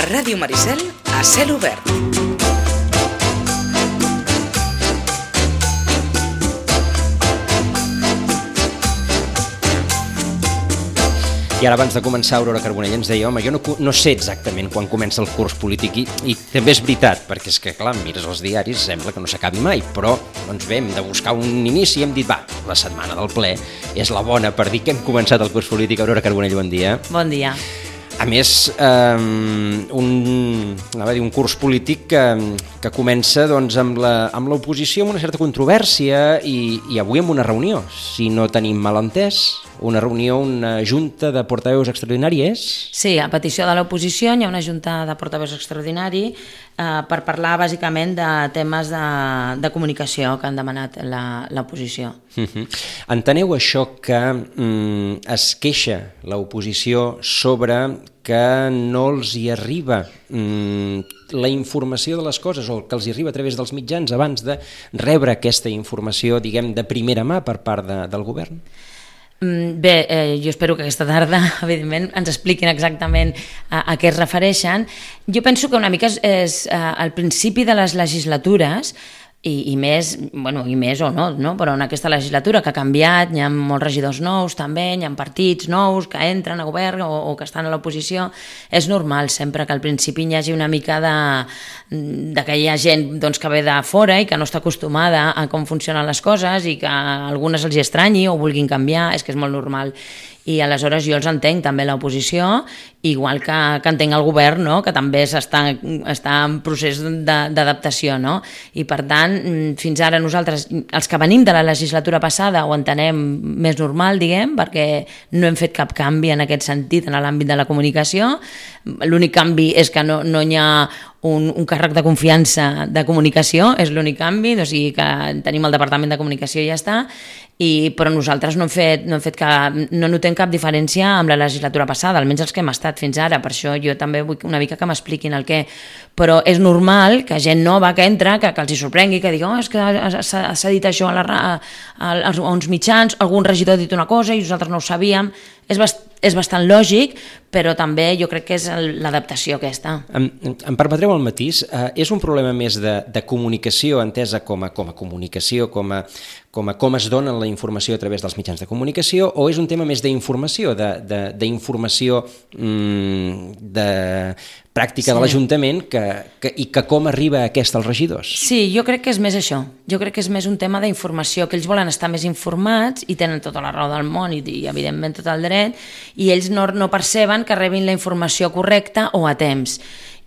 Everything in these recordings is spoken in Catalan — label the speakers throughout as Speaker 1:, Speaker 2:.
Speaker 1: Ràdio Maricel a cel obert.
Speaker 2: I ara, abans de començar, Aurora Carbonell ens deia: home, jo no sé exactament quan comença el curs polític, i també és veritat, perquè és que, clar, mires els diaris, sembla que no s'acabi mai, però doncs bé, hem de buscar un inici i hem dit, va, la setmana del ple és la bona per dir que hem començat el curs polític. Aurora Carbonell, bon dia.
Speaker 3: Bon dia.
Speaker 2: A més, un curs polític que comença doncs, amb l'oposició, amb una certa controvèrsia, i avui amb una reunió, si no tenim mal entès, una junta de portaveus extraordinari és?
Speaker 3: Sí, a petició de l'oposició hi ha una junta de portaveus extraordinari per parlar bàsicament de temes de comunicació que han demanat l'oposició.
Speaker 2: Enteneu això que es queixa l'oposició sobre que no els hi arriba la informació de les coses, o que els hi arriba a través dels mitjans abans de rebre aquesta informació, diguem, de primera mà per part del govern?
Speaker 3: Bé, jo espero que aquesta tarda, evidentment, ens expliquin exactament a què es refereixen. Jo penso que una mica és al principi de les legislatures, i més o no, però en aquesta legislatura que ha canviat, hi ha molts regidors nous també, hi ha partits nous que entren a govern o que estan a l'oposició. És normal sempre que al principi hi hagi una mica de que hi ha gent doncs, que ve de fora i que no està acostumada a com funcionen les coses i que a algunes els hi estranyi o vulguin canviar, és que és molt normal. I aleshores jo els entenc també l'oposició, igual que entenc el govern, no? Que també està en procés d'adaptació, no? I per tant, fins ara nosaltres, els que venim de la legislatura passada, ho entenem més normal, diguem, perquè no hem fet cap canvi en aquest sentit en l'àmbit de la comunicació. L'únic canvi és que no hi ha un càrrec de confiança de comunicació, és l'únic canvi, o sigui que tenim el Departament de Comunicació i ja està, però nosaltres no notem cap diferència amb la legislatura passada, almenys els que hem estat fins ara. Per això jo també vull una mica que m'expliquin el què. Però és normal que gent nova que entra, que els hi sorprengui, que digui, és que s'ha dit això a uns mitjans, algun regidor ha dit una cosa i nosaltres no ho sabíem. És bastant lògic, però també jo crec que és l'adaptació aquesta.
Speaker 2: Em permetreu el matís? És un problema més de comunicació, entesa com a comunicació, com es dona la informació a través dels mitjans de comunicació, o és un tema més d'informació, d'informació de pràctica de l'Ajuntament i que com arriba aquesta als regidors?
Speaker 3: Sí, jo crec que és més això. Jo crec que és més un tema d'informació, que ells volen estar més informats i tenen tota la raó del món i evidentment tot el dret, i ells no perceben que rebin la informació correcta o a temps.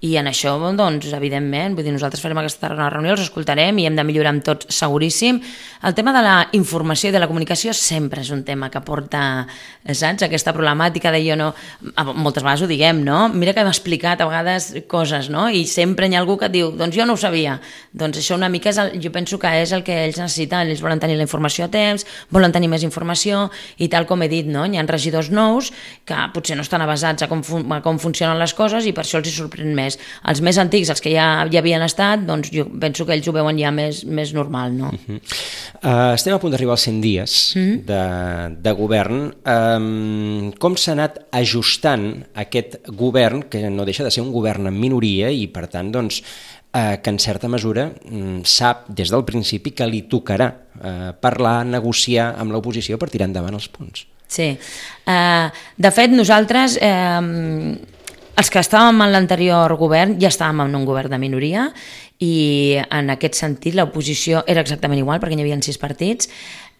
Speaker 3: I en això, doncs, evidentment, vull dir, nosaltres farem aquesta reunió, els escoltarem i hem de millorar amb tots, seguríssim. El tema de la informació i de la comunicació sempre és un tema que porta, saps, aquesta problemàtica de jo no... Moltes vegades ho diguem, no? Mira que hem explicat a vegades coses, no? I sempre hi ha algú que et diu, doncs jo no ho sabia. Doncs això una mica jo penso que és el que ells necessiten. Ells volen tenir la informació a temps, volen tenir més informació i tal com he dit, no? Hi ha regidors nous que potser no estan avasats a com funcionen les coses i per això els hi sorprèn més. Els més antics, els que ja havien estat, doncs jo penso que ells ho veuen ja més normal, no?
Speaker 2: Estem a punt d'arribar als 100 dies de govern. Com s'ha anat ajustant aquest govern, que no deixa de ser un govern en minoria i, per tant, doncs, que en certa mesura sap des del principi que li tocarà parlar, negociar amb l'oposició per tirar endavant els punts?
Speaker 3: Sí. De fet, nosaltres... Els que estàvem en l'anterior govern ja estàvem en un govern de minoria i en aquest sentit l'oposició era exactament igual perquè hi havia 6 partits.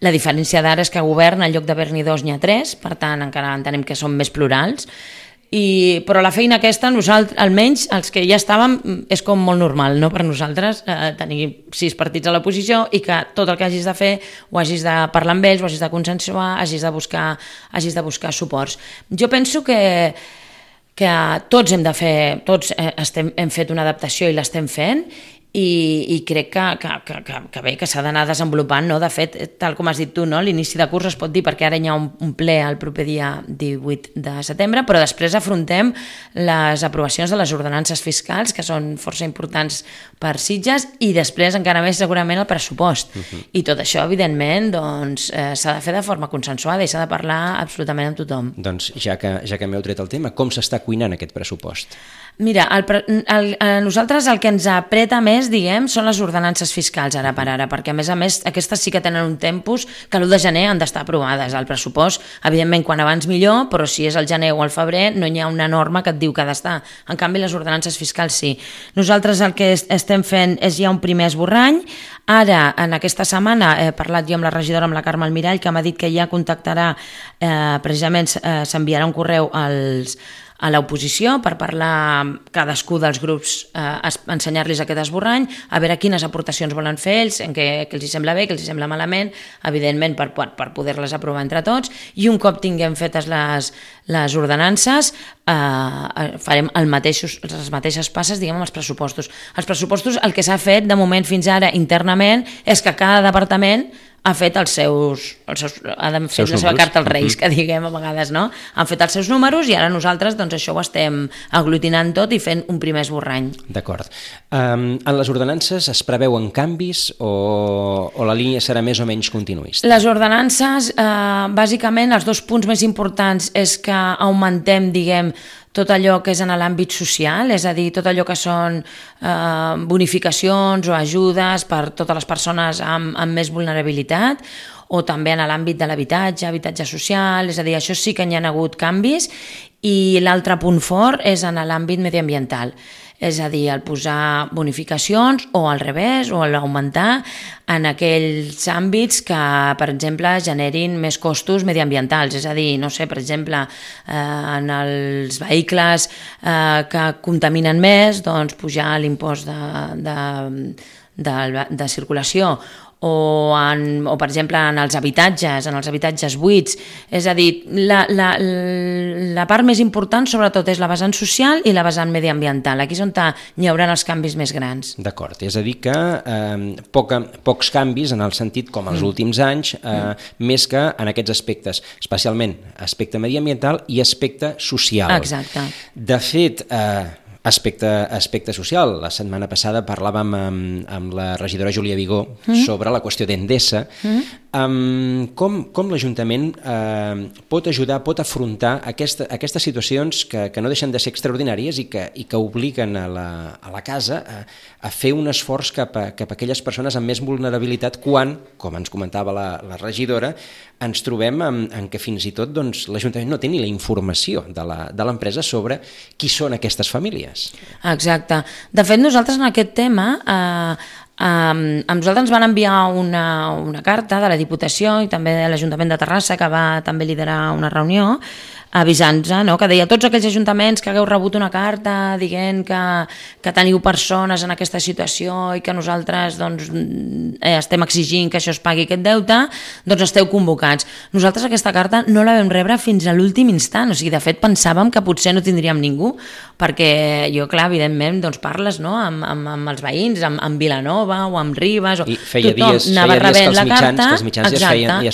Speaker 3: La diferència d'ara és que a govern en lloc d'haver-n'hi 2 n'hi ha 3, per tant encara entenem que són més plurals. Però la feina aquesta, nosaltres, almenys els que ja estàvem, és com molt normal, no? Per nosaltres tenir 6 partits a l'oposició i que tot el que hagis de fer ho hagis de parlar amb ells, ho hagis de consensuar, hagis de buscar suports. Jo penso que tots hem fet una adaptació i l'estem fent, i crec que bé, que s'ha d'anar desenvolupant, no? De fet, tal com has dit tu, no? L'inici de curs es pot dir perquè ara hi ha un ple el proper dia 18 de setembre, però després afrontem les aprovacions de les ordenances fiscals, que són força importants per Sitges, i després encara més segurament el pressupost. I tot això, evidentment, doncs, s'ha de fer de forma consensuada i s'ha de parlar absolutament amb tothom.
Speaker 2: Doncs ja que m'heu tret el tema, com s'està cuinant aquest pressupost?
Speaker 3: Mira, a nosaltres el que ens apreta més, diguem, són les ordenances fiscals ara per ara, perquè a més aquestes sí que tenen un tempus que l'1 de gener han d'estar aprovades. El pressupost, evidentment, quan abans millor, però si és el gener o el febrer no hi ha una norma que et diu que ha d'estar. En canvi, les ordenances fiscals sí. Nosaltres el que estem fent és ja un primer esborrany. Ara, en aquesta setmana, he parlat jo amb la regidora, amb la Carme Almirall, que m'ha dit que ja contactarà, precisament s'enviarà un correu a l'oposició per parlar cadascú dels grups, ensenyar-los aquest esborrany, a veure quines aportacions volen fer ells, en què els sembla bé, què els sembla malament, evidentment per poder-les aprovar entre tots, i un cop tinguem fetes les ordenances farem les mateixes passes, diguem, amb els pressupostos. Els pressupostos, el que s'ha fet de moment fins ara internament és que cada departament ha fet ha fet la seva carta als Reis, que diguem a vegades, no? Han fet els seus números i ara nosaltres doncs, això ho estem aglutinant tot i fent un primer esborrany.
Speaker 2: D'acord. En les ordenances es preveuen canvis o la línia serà més o menys continuista?
Speaker 3: Les ordenances, bàsicament, els 2 punts més importants és que augmentem, diguem, tot allò que és en l'àmbit social, és a dir, tot allò que són bonificacions o ajudes per totes les persones amb més vulnerabilitat, o també en l'àmbit de l'habitatge, habitatge social, és a dir, això sí que hi ha hagut canvis, i l'altre punt fort és en l'àmbit mediambiental. És a dir, el posar bonificacions o al revés, o l'augmentar en aquells àmbits que, per exemple, generin més costos mediambientals. És a dir, no sé, per exemple, en els vehicles que contaminen més, doncs pujar l'impost de circulació, o per exemple en els habitatges buits. És a dir, la part més important sobretot és la vessant social i la vessant mediambiental. Aquí és on hi haurà els canvis més grans.
Speaker 2: D'acord, és a dir que pocs canvis en el sentit com els últims anys, més que en aquests aspectes, especialment aspecte mediambiental i aspecte social.
Speaker 3: Exacte.
Speaker 2: De fet, aspecte social. La setmana passada parlàvem amb la regidora Júlia Vigó sobre la qüestió d'Endesa. Com l'Ajuntament pot ajudar, pot afrontar aquestes situacions que no deixen de ser extraordinàries i que obliguen a la casa a fer un esforç cap a aquelles persones amb més vulnerabilitat quan, com ens comentava la regidora, ens trobem en què fins i tot l'Ajuntament no té ni la informació de l'empresa sobre qui són aquestes famílies.
Speaker 3: Exacte. De fet, nosaltres en aquest tema a nosaltres ens van enviar una carta de la Diputació i també de l'Ajuntament de Terrassa, que va també liderar una reunió avisant-nos, no? Que deia a tots aquells ajuntaments que hagueu rebut una carta dient que teniu persones en aquesta situació i que nosaltres estem exigint que això es pagui aquest deute, doncs esteu convocats. Nosaltres aquesta carta no la vam rebre fins a l'últim instant, o sigui, de fet pensàvem que potser no tindríem ningú, perquè jo, clar, evidentment, parles, no? amb els veïns, amb Vilanova o amb Ribes, o tothom anava rebent la carta,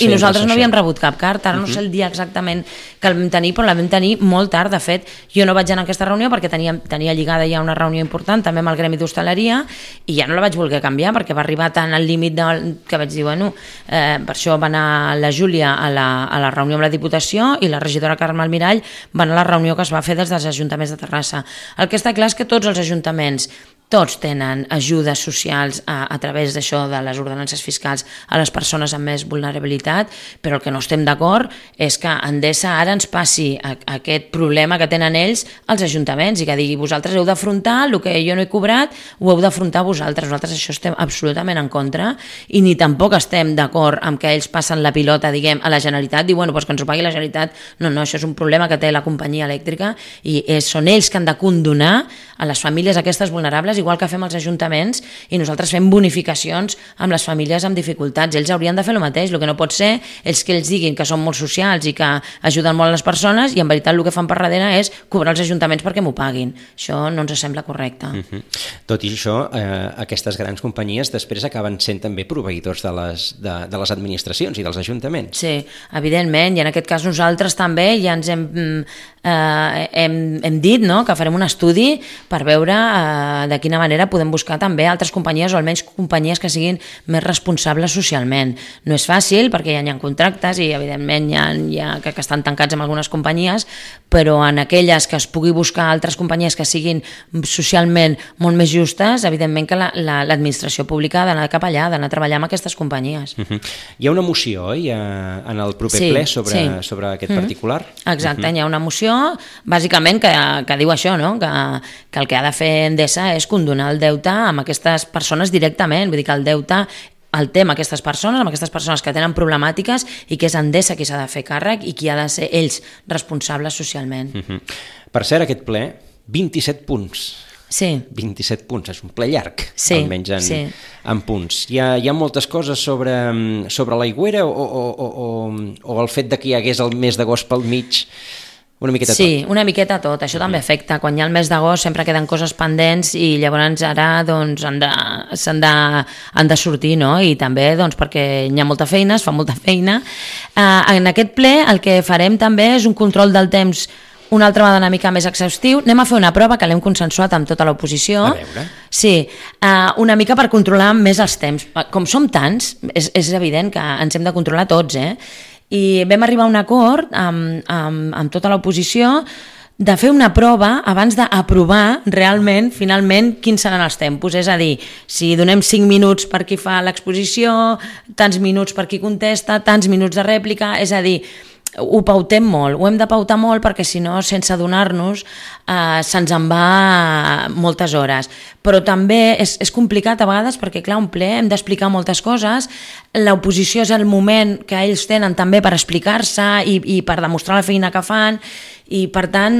Speaker 3: i nosaltres no havíem rebut cap carta. Ara no sé el dia exactament que el vam tenir, però la vam tenir molt tard. De fet, jo no vaig anar a aquesta reunió perquè tenia lligada ja una reunió important també amb el Gremi d'Hostaleria i ja no la vaig voler canviar perquè va arribar tant al límit que vaig dir, per això va anar la Júlia a la reunió amb la Diputació i la regidora Carme Almirall va anar a la reunió que es va fer des dels ajuntaments de Terrassa. El que està clar és que tots els ajuntaments tots tenen ajudes socials a través d'això de les ordenances fiscals a les persones amb més vulnerabilitat, però el que no estem d'acord és que Endesa ara ens passi aquest problema que tenen ells als ajuntaments i que digui vosaltres heu d'afrontar el que jo no he cobrat, ho heu d'afrontar vosaltres. Nosaltres això estem absolutament en contra i ni tampoc estem d'acord amb que ells passen la pilota, diguem, a la Generalitat, diu, doncs que ens ho pagui la Generalitat. No, això és un problema que té la companyia elèctrica i són ells que han de condonar a les famílies aquestes vulnerables, igual que fem els ajuntaments, i nosaltres fem bonificacions amb les famílies amb dificultats. Ells haurien de fer el mateix. El que no pot ser és que ells diguin que són molt socials i que ajuden molt a les persones persones i en veritat el que fan per darrere és cobrar els ajuntaments perquè m'ho paguin. Això no ens sembla correcte.
Speaker 2: Tot i això, aquestes grans companyies després acaben sent també proveïdors de les administracions i dels ajuntaments.
Speaker 3: Sí, evidentment, i en aquest cas nosaltres també ja ens hem dit, no?, que farem un estudi per veure de quina manera podem buscar també altres companyies o almenys companyies que siguin més responsables socialment. No és fàcil perquè ja hi ha contractes i evidentment hi ha que estan tancats amb algunes companyies, però en aquelles que es pugui buscar altres companyies que siguin socialment molt més justes, evidentment que l'administració pública ha d'anar cap allà, ha d'anar a treballar amb aquestes companyies.
Speaker 2: Hi ha una moció, en el proper ple sobre aquest particular?
Speaker 3: Exacte, hi ha una moció bàsicament que diu això, no? Que el que ha de fer Endesa és condonar el deute amb aquestes persones directament, vull dir que el deute el té amb aquestes persones que tenen problemàtiques i que és Endesa qui s'ha de fer càrrec i qui ha de ser ells responsables socialment.
Speaker 2: Per cert, aquest ple, 27 punts.
Speaker 3: Sí.
Speaker 2: 27 punts, és un ple llarg, almenys en punts. Hi ha moltes coses sobre l'aigüera o el fet de que hi hagués el mes d'agost pel mig. Una miqueta tot.
Speaker 3: Sí, una miqueta tot. Això també afecta. Quan hi ha el mes d'agost sempre queden coses pendents i llavors ara doncs, han de sortir, no? I també doncs, perquè hi ha molta feina, es fa molta feina. En aquest ple el que farem també és un control del temps una altra vegada una mica més exhaustiu. Anem a fer una prova que l'hem consensuat amb tota l'oposició.
Speaker 2: A veure.
Speaker 3: Sí, una mica per controlar més els temps. Com som tants, és evident que ens hem de controlar tots, i vam arribar a un acord amb tota l'oposició de fer una prova abans d'aprovar realment, finalment, quins seran els tempos. És a dir, si donem 5 minuts per qui fa l'exposició, tants minuts per qui contesta, tants minuts de rèplica, és a dir, ho pautem molt, ho hem de pautar molt perquè si no, sense adonar-nos, se'ns en va moltes hores. Però també és complicat a vegades perquè, clar, un ple hem d'explicar moltes coses, l'oposició és el moment que ells tenen també per explicar-se i per demostrar la feina que fan, i per tant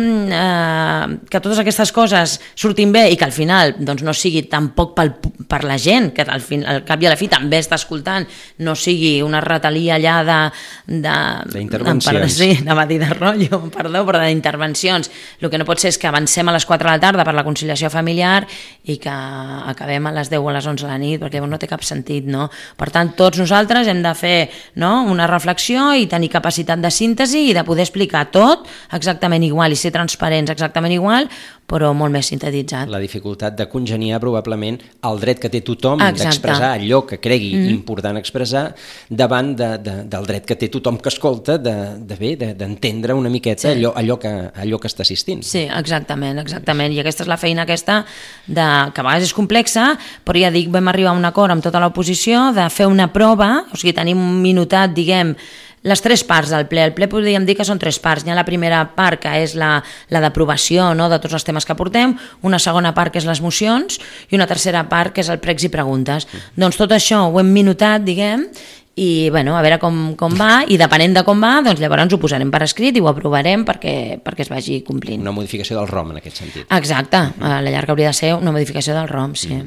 Speaker 3: que totes aquestes coses surtin bé i que al final doncs, no sigui tampoc per la gent que al cap i a la fi també està escoltant, no sigui una ratalia allà
Speaker 2: d'intervencions,
Speaker 3: anava a dir de rotllo, perdó, però d'intervencions. El que no pot ser és que avancem a les 4 de la tarda per la conciliació familiar i que acabem a les 10 o a les 11 de la nit, perquè no té cap sentit, no? Per tant, tots nosaltres hem de fer, no, una reflexió i tenir capacitat de síntesi i de poder explicar tot exactament igual i ser transparents exactament igual, però molt més sintetitzat.
Speaker 2: La dificultat de congeniar probablement el dret que té tothom d'expressar allò que cregui important expressar davant del dret que té tothom que escolta d'entendre una miqueta allò que està assistint.
Speaker 3: Sí, exactament. I aquesta és la feina que a vegades és complexa, però ja dic, vam arribar a un acord amb tota l'oposició de fer una prova, o sigui, tenim un minutat, diguem, les 3 parts del ple. El ple podríem dir que són 3 parts. Hi ha la primera part, que és la d'aprovació, no?, de tots els temes que portem, una segona part, que és les mocions, i una tercera part, que és el pregs i preguntes. Doncs tot això ho hem minutat, diguem, i bueno, a veure com va, i depenent de com va, doncs llavors ho posarem per escrit i ho aprovarem perquè es vagi complint.
Speaker 2: Una modificació del ROM, en aquest sentit.
Speaker 3: Exacte, a la llarga hauria de ser una modificació del ROM, sí.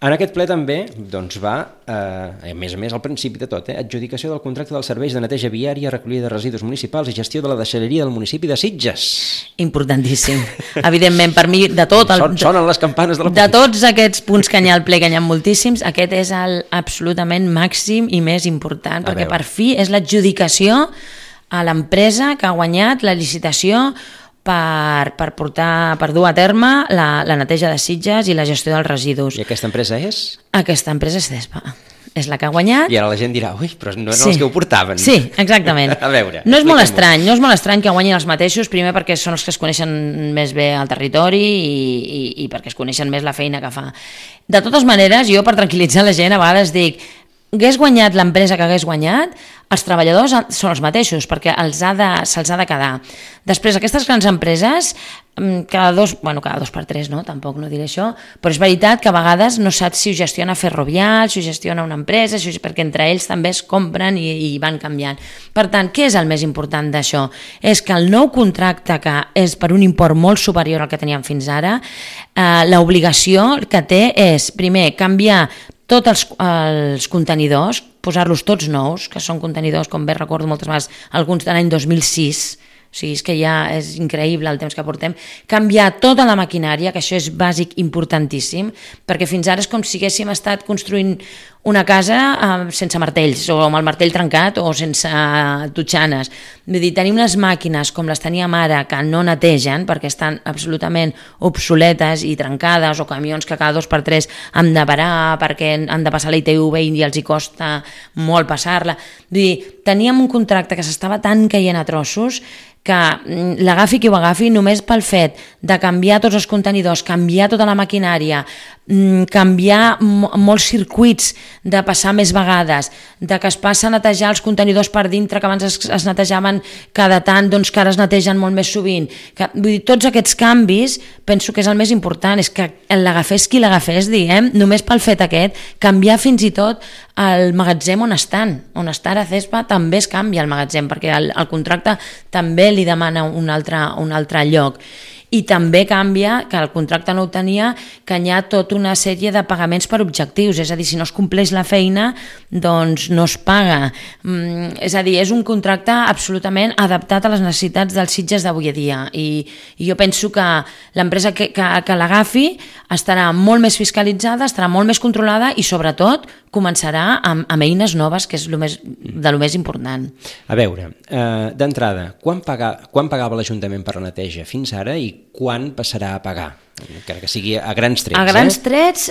Speaker 2: En aquest ple també doncs, va, a més al principi de tot, adjudicació del contracte dels serveis de neteja viària, recollida de residus municipals i gestió de la deixalleria del municipi de Sitges.
Speaker 3: Importantíssim. Evidentment, per mi, de tot...
Speaker 2: Sonen les campanes de la...
Speaker 3: De tots aquests punts que hi ha al ple, que hi ha moltíssims, aquest és el absolutament màxim i més important, perquè per fi és l'adjudicació a l'empresa que ha guanyat la licitació per dur a terme la neteja de Sitges i la gestió dels residus.
Speaker 2: I aquesta empresa és?
Speaker 3: Aquesta empresa és CESPA. És la que ha guanyat.
Speaker 2: I ara la gent dirà, ui, però no els que ho portaven.
Speaker 3: Sí, exactament.
Speaker 2: A veure,
Speaker 3: no és molt estrany que guanyin els mateixos, primer perquè són els que es coneixen més bé al territori i perquè es coneixen més la feina que fa. De totes maneres, jo per tranquil·litzar la gent a vegades dic, hagués guanyat l'empresa que hagués guanyat, els treballadors són els mateixos, perquè se'ls ha de quedar. Després, aquestes grans empreses, cada dos per tres, no? Tampoc no diré això, però és veritat que a vegades no saps si ho gestiona Ferrovial, si ho gestiona una empresa, perquè entre ells també es compren i van canviant. Per tant, què és el més important d'això? És que el nou contracte, que és per un import molt superior al que teníem fins ara, l'obligació que té és, primer, canviar tots els contenidors, posar-los tots nous, que són contenidors, com bé recordo moltes vegades, alguns de l'any 2006, O sigui, és que ja és increïble el temps que portem. Canviar tota la maquinària, que això és bàsic, importantíssim, perquè fins ara és com si haguéssim estat construint una casa sense martells, o amb el martell trencat, o sense totxanes. Vull dir, tenir unes màquines com les teníem ara, que no netegen, perquè estan absolutament obsoletes i trencades, o camions que cada 2x3 han de parar perquè han de passar la ITV i els hi costa molt passar-la. Vull dir, teníem un contracte que s'estava tan caient a trossos que l'agafi qui ho agafi, només pel fet de canviar tots els contenidors, canviar tota la maquinària, canviar molts circuits, de passar més vegades, de que es passa a netejar els contenidors per dintre, que abans es netejaven cada tant, doncs que ara es netegen molt més sovint. Vull dir, tots aquests canvis penso que és el més important, és que l'agafés qui l'agafés, diguem, només pel fet aquest, canviar fins i tot el magatzem on estan. On està ara Cespa també es canvia el magatzem, perquè el contracte també li demana un altre lloc. I també canvia, que el contracte no ho tenia, que hi ha tota una sèrie de pagaments per objectius, és a dir, si no es compleix la feina, doncs no es paga. És a dir, és un contracte absolutament adaptat a les necessitats dels Sitges d'avui a dia, i jo penso que l'empresa que l'agafi estarà molt més fiscalitzada, estarà molt més controlada i sobretot començarà amb eines noves, que és de lo més important.
Speaker 2: A veure, d'entrada, quan pagava l'Ajuntament per la neteja fins ara i quan passarà a pagar? Encara que sigui a grans trets.
Speaker 3: A grans trets,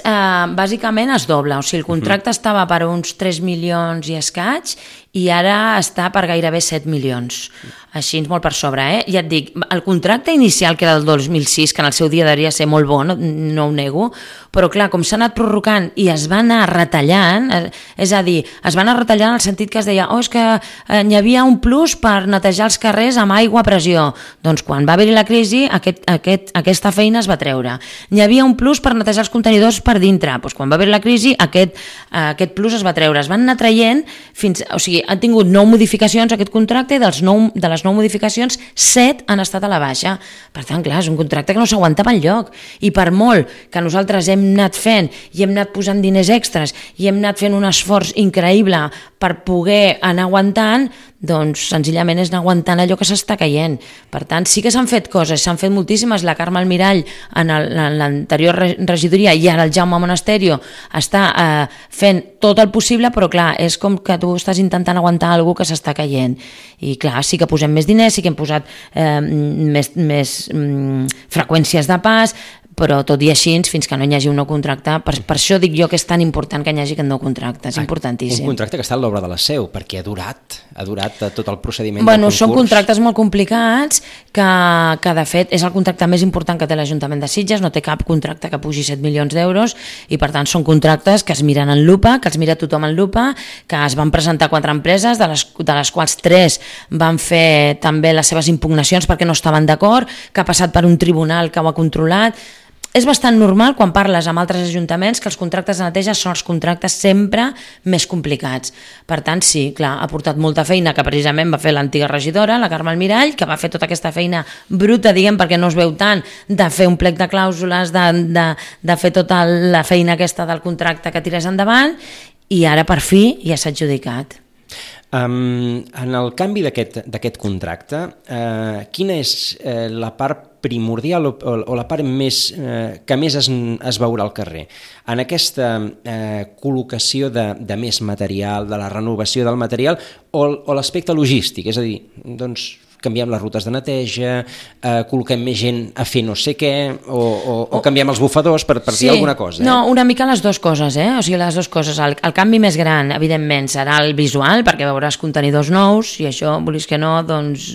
Speaker 3: bàsicament es dobla. O sigui, el contracte estava per uns 3 milions i escaig i ara està per gairebé 7 milions. Així, molt per sobre, Ja et dic, el contracte inicial, que era del 2006, que en el seu dia devia ser molt bo, no ho nego, però clar, com s'ha anat prorrogant i es va anar retallant, és a dir, es va anar retallant en el sentit que es deia és que hi havia un plus per netejar els carrers amb aigua a pressió. Doncs quan va haver-hi la crisi, aquesta feina es va treure. Hi havia un plus per netejar els contenidors per dintre. Doncs quan va haver la crisi, aquest plus es va treure. Es van anar traient fins... O sigui, han tingut 9 modificacions aquest contracte i de les 9 modificacions, 7 han estat a la baixa. Per tant, clar, és un contracte que no s'aguantava enlloc. I per molt que nosaltres hem anat fent i hem anat posant diners extras i hem anat fent un esforç increïble per poder anar aguantant, doncs senzillament és anar aguantant allò que s'està caient. Per tant, sí que s'han fet coses, s'han fet moltíssimes. La Carme Almirall en l'anterior regidoria i ara el Jaume Monasterio està fent tot el possible, però clar, és com que tu estàs intentant aguantar algú que s'està caient. I clar, sí que posem més diners, sí que hem posat més freqüències de pas, però tot i així, fins que no hi hagi un nou contracte, per això dic jo que és tan important que hi hagi aquest nou contracte, és importantíssim.
Speaker 2: Un contracte que està a l'obra de la Seu, perquè ha durat tot el procediment del concurs.
Speaker 3: Són contractes molt complicats, que de fet és el contracte més important que té l'Ajuntament de Sitges, no té cap contracte que pugi 7 milions d'euros, i per tant són contractes que es miren en lupa, que els mira tothom en lupa, que es van presentar 4 empreses, de les quals 3 van fer també les seves impugnacions perquè no estaven d'acord, que ha passat per un tribunal que ho ha controlat. És bastant normal quan parles amb altres ajuntaments que els contractes de neteja són els contractes sempre més complicats. Per tant, sí, clar, ha portat molta feina que precisament va fer l'antiga regidora, la Carme Almirall, que va fer tota aquesta feina bruta, diguem, perquè no es veu tant, de fer un plec de clàusules, de fer tota la feina aquesta del contracte que tirés endavant, i ara per fi ja s'ha adjudicat.
Speaker 2: En el canvi d'aquest contracte, quina és la part primordial o la part que més es veurà al carrer? En aquesta col·locació de més material, de la renovació del material o l'aspecte logístic? És a dir, doncs canviem les rutes de neteja, col·loquem més gent a fer no sé què, o canviem els bufadors per dir alguna cosa.
Speaker 3: No, una mica les dues coses, o sigui, les dues coses. El canvi més gran, evidentment, serà el visual, perquè veuràs contenidors nous, i això, volis que no, doncs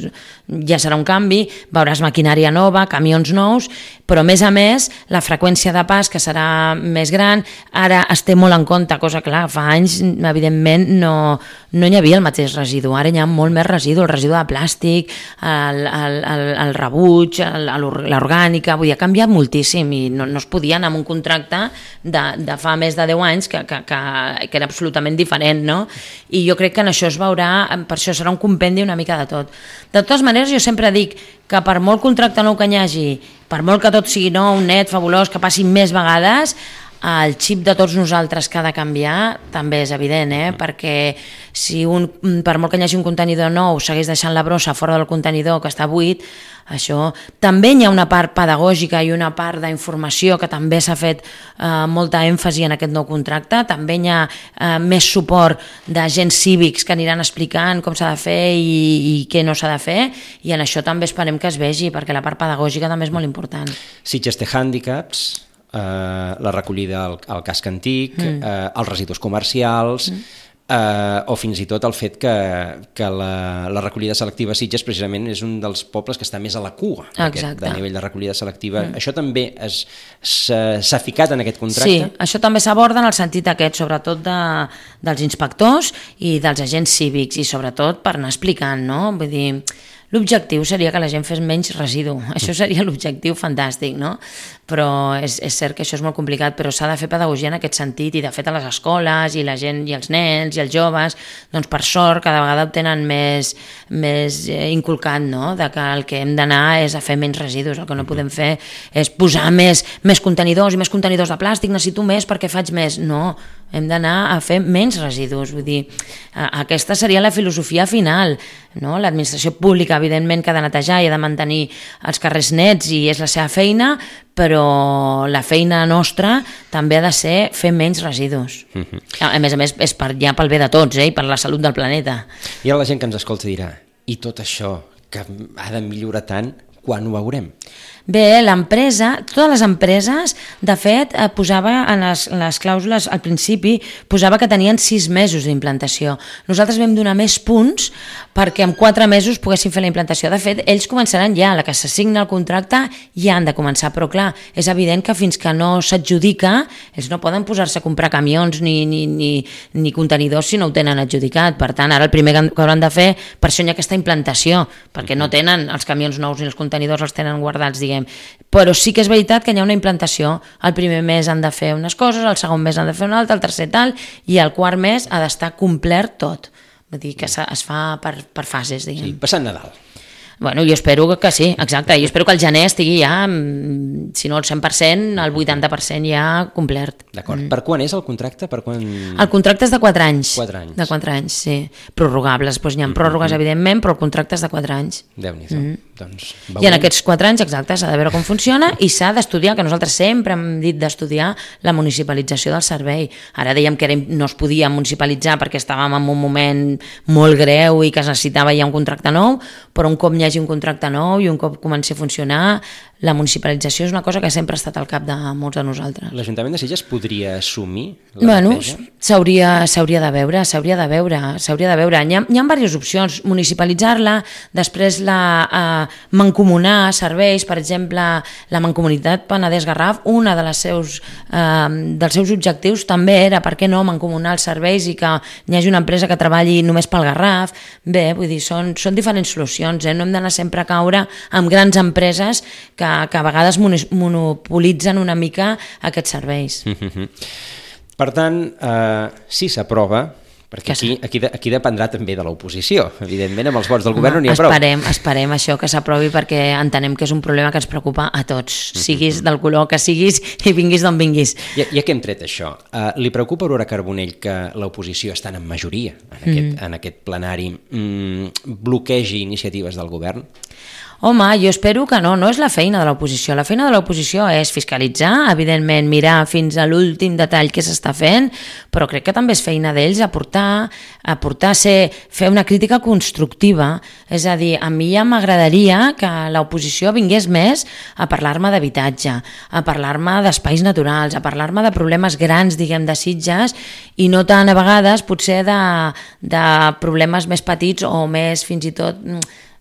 Speaker 3: ja serà un canvi, veuràs maquinària nova, camions nous, però a més, la freqüència de pas, que serà més gran, ara es té molt en compte, cosa clar, fa anys, evidentment, no hi havia el mateix residu, ara hi ha molt més residu, el residu de plàstic, el rebuig, l'orgànica, vull dir, ha canviat moltíssim i no es podia anar amb un contracte de fa més de 10 anys que era absolutament diferent, no? I jo crec que en això es veurà, per això serà un compendi una mica de tot. De totes maneres, jo sempre dic que per molt contracte nou que hi hagi, per molt que tot sigui nou, net, fabulós, que passi més vegades, el xip de tots nosaltres que ha de canviar també és evident, perquè si per molt que hi hagi un contenidor nou segueix deixant la brossa fora del contenidor que està buit, això també hi ha una part pedagògica i una part d'informació que també s'ha fet molta èmfasi en aquest nou contracte, també hi ha més suport d'agents cívics que aniran explicant com s'ha de fer i què no s'ha de fer, i en això també esperem que es vegi, perquè la part pedagògica també és molt important.
Speaker 2: Sitges té hàndicaps, la recollida al casc antic, els residus comercials, o fins i tot el fet que la recollida selectiva a Sitges precisament és un dels pobles que està més a la cua de nivell de recollida selectiva. Això també s'ha ficat en aquest contracte?
Speaker 3: Sí, això també s'aborda en el sentit aquest, sobretot dels inspectors i dels agents cívics, i sobretot per anar explicant, no? Vull dir, l'objectiu seria que la gent fes menys residu, això seria l'objectiu fantàstic, no? Però és cert que això és molt complicat, però s'ha de fer pedagogia en aquest sentit, i de fet a les escoles i la gent i els nens i els joves, doncs per sort cada vegada ho tenen més inculcat, no? De que el que hem d'anar és a fer menys residus, el que no podem fer és posar més contenidors i més contenidors de plàstic, necessito més perquè faig més, no, hem d'anar a fer menys residus, vull dir, aquesta seria la filosofia final, no? L'administració pública evidentment que ha de netejar i ha de mantenir els carrers nets i és la seva feina, però la feina nostra també ha de ser fer menys residus. A més, és ja pel bé de tots, i per la salut del planeta.
Speaker 2: I ara la gent que ens escolta dirà, i tot això que ha de millorar tant, quan ho veurem?
Speaker 3: Bé, l'empresa, totes les empreses, de fet, posava en les clàusules al principi, posava que tenien 6 mesos d'implantació. Nosaltres vam donar més punts perquè en 4 mesos poguessin fer la implantació. De fet, ells començaran ja, la que s'assigna el contracte ja han de començar, però clar, és evident que fins que no s'adjudica, ells no poden posar-se a comprar camions ni contenidors si no ho tenen adjudicat. Per tant, ara el primer que hauran de fer, per això hi ha aquesta implantació, perquè no tenen els camions nous ni els contenidors, els tenen guardats, diguem. Però sí que és veritat que hi ha una implantació. El primer mes han de fer unes coses, el segon mes han de fer una altra, el tercer tal, i el quart mes ha d'estar complert tot. Vull dir que es fa per fases, diguem.
Speaker 2: Sí, passant Nadal.
Speaker 3: Bueno, jo espero que sí, exacte. Jo espero que el gener estigui ja, si no el 100%, el 80% ja complert.
Speaker 2: D'acord. Per quan és el contracte? Per quan...
Speaker 3: El contracte és de 4 anys.
Speaker 2: 4 anys.
Speaker 3: De 4 anys, sí. Prorrogables, doncs hi ha pròrrogues, evidentment, però el contracte és de 4 anys.
Speaker 2: Déu-n'hi-do. Doncs
Speaker 3: I en aquests 4 anys, exacte, s'ha de veure com funciona i s'ha d'estudiar, que nosaltres sempre hem dit d'estudiar la municipalització del servei. Ara dèiem que no es podia municipalitzar perquè estàvem en un moment molt greu i que es necessitava ja un contracte nou, però un cop hi hagi un contracte nou i un cop comenci a funcionar, la municipalització és una cosa que sempre ha estat al cap de molts de nosaltres.
Speaker 2: L'Ajuntament de Sitges podria assumir
Speaker 3: la neteja? S'hauria de veure. Hi ha diverses opcions. Municipalitzar-la, després mancomunar serveis, per exemple, la Mancomunitat Penedès-Garraf, una dels seus objectius també era, per què no, mancomunar els serveis i que hi hagi una empresa que treballi només pel Garraf. Bé, vull dir, són diferents solucions, no hem d'anar sempre a caure amb grans empreses que a vegades monopolitzen una mica aquests serveis.
Speaker 2: Per tant, si s'aprova, perquè aquí dependrà també de l'oposició, evidentment amb els vots del govern no n'hi ha prou.
Speaker 3: Esperem això que s'aprovi perquè entenem que és un problema que ens preocupa a tots, siguis del color que siguis i vinguis d'on vinguis.
Speaker 2: Ja que hem tret això, li preocupa a Aurora Carbonell que l'oposició, estant en majoria en aquest plenari, bloquegi iniciatives del govern?
Speaker 3: Home, jo espero que no és la feina de l'oposició. La feina de l'oposició és fiscalitzar, evidentment mirar fins a l'últim detall què s'està fent, però crec que també és feina d'ells aportar, fer una crítica constructiva. És a dir, a mi ja m'agradaria que l'oposició vingués més a parlar-me d'habitatge, a parlar-me d'espais naturals, a parlar-me de problemes grans, diguem, de Sitges, i no tant a vegades potser de problemes més petits o més fins i tot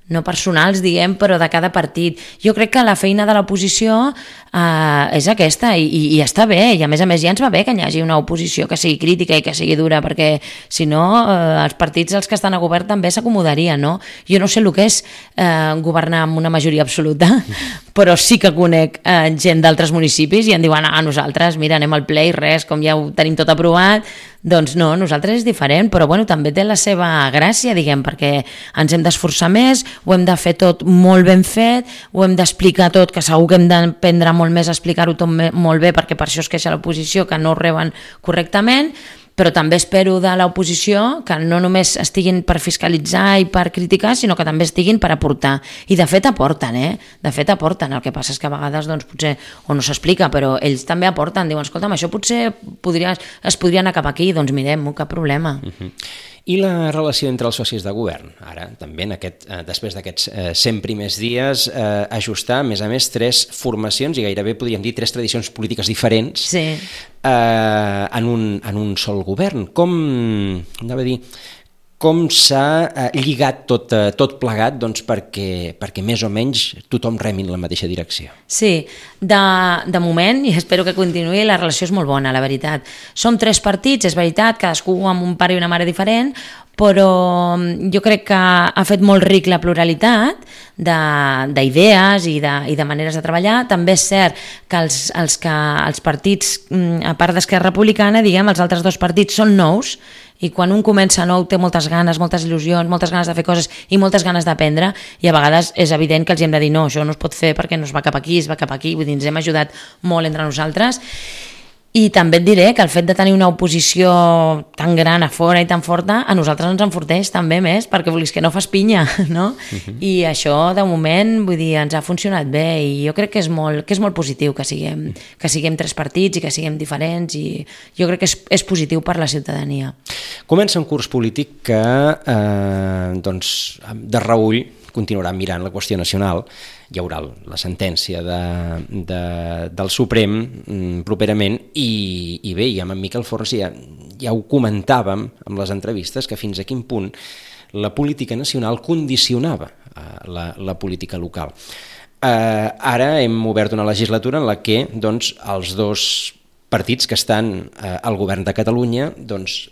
Speaker 3: no personals, diguem, però de cada partit. Jo crec que la feina de l'oposició és aquesta i està bé, i a més ja ens va bé que hi hagi una oposició que sigui crítica i que sigui dura, perquè si no els partits els que estan a govern també s'acomodarien, no? Jo no sé el que és governar amb una majoria absoluta, però sí que conec gent d'altres municipis i em diuen, nosaltres, mira, anem al ple i res, com ja ho tenim tot aprovat, Doncs no, nosaltres és diferent, però bueno, també té la seva gràcia, diguem, perquè ens hem d'esforçar més, ho hem de fer tot molt ben fet, ho hem d'explicar tot, que segur que hem d'aprendre molt més a explicar-ho tot molt bé, perquè per això es queixa l'oposició, que no ho reben correctament, però també espero de l'oposició que no només estiguin per fiscalitzar i per criticar, sinó que també estiguin per aportar. I de fet aporten, De fet aporten. El que passa és que a vegades doncs, potser o no s'explica, però ells també aporten. Diuen, escolta'm, això potser es podria anar cap aquí, doncs mirem-ho, cap problema.
Speaker 2: I la relació entre els socis de govern? Ara, també, després d'aquests 100 primers dies, ajustar, a més, 3 formacions, i gairebé podríem dir 3 tradicions polítiques diferents en un sol govern. Com s'ha lligat tot plegat perquè més o menys tothom remi en la mateixa direcció?
Speaker 3: Sí, de moment, i espero que continuï, la relació és molt bona, la veritat. Som 3 partits, és veritat, cadascú amb un pare i una mare diferent, però jo crec que ha fet molt ric la pluralitat d'idees i de maneres de treballar. També és cert que els partits, a part d'Esquerra Republicana, diguem, els altres 2 partits són nous, i quan un comença nou té moltes ganes, moltes il·lusions, moltes ganes de fer coses i moltes ganes d'aprendre, i a vegades és evident que els hem de dir no, això no es pot fer perquè no es va cap aquí, es va cap aquí, vull dir, ens hem ajudat molt entre nosaltres. I també et diré que el fet de tenir una oposició tan gran a fora i tan forta, a nosaltres ens enforteix també més, perquè volies que no fas pinya, no? I això, de moment, vull dir, ens ha funcionat bé, i jo crec que és molt positiu que siguem 3 partits i que siguem diferents, i jo crec que és positiu per la ciutadania.
Speaker 2: Comença un curs polític que, de reüll, continuarà mirant la qüestió nacional. Hi haurà la sentència del Suprem properament, i bé, i amb en Miquel Forns ja ho comentàvem amb les entrevistes, que fins a quin punt la política nacional condicionava la política local. Ara hem obert una legislatura en la que els 2 partits que estan al govern de Catalunya,